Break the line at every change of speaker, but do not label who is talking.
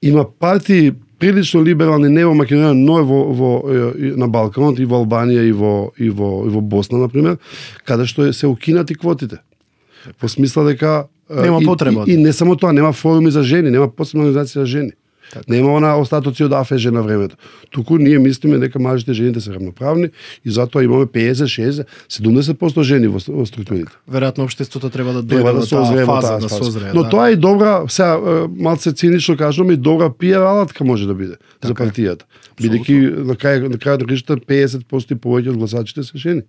има партии прилично либерални не во Македонија, но на Балканот и во Албанија и во Босна на пример, каде што се укинати квотите. Во смисла дека
нема потреба.
И не само тоа, нема форуми за жени, нема посебна организација за жени. Така. Нема она остатоци од АФЖ на времето. Туку ние мислиме дека мажите и жените се равноправни и затоа имаме 50, 60, 70% жени во структурите.
Веројатно општеството треба да дојде во таа фаза да созрее.
Но тоа е добра, сега малце цинично кажуваме, и добра пиар алатка може да биде за партијата. Бидејќи на крајот на крајот 50% и повеќе од гласачите се жени.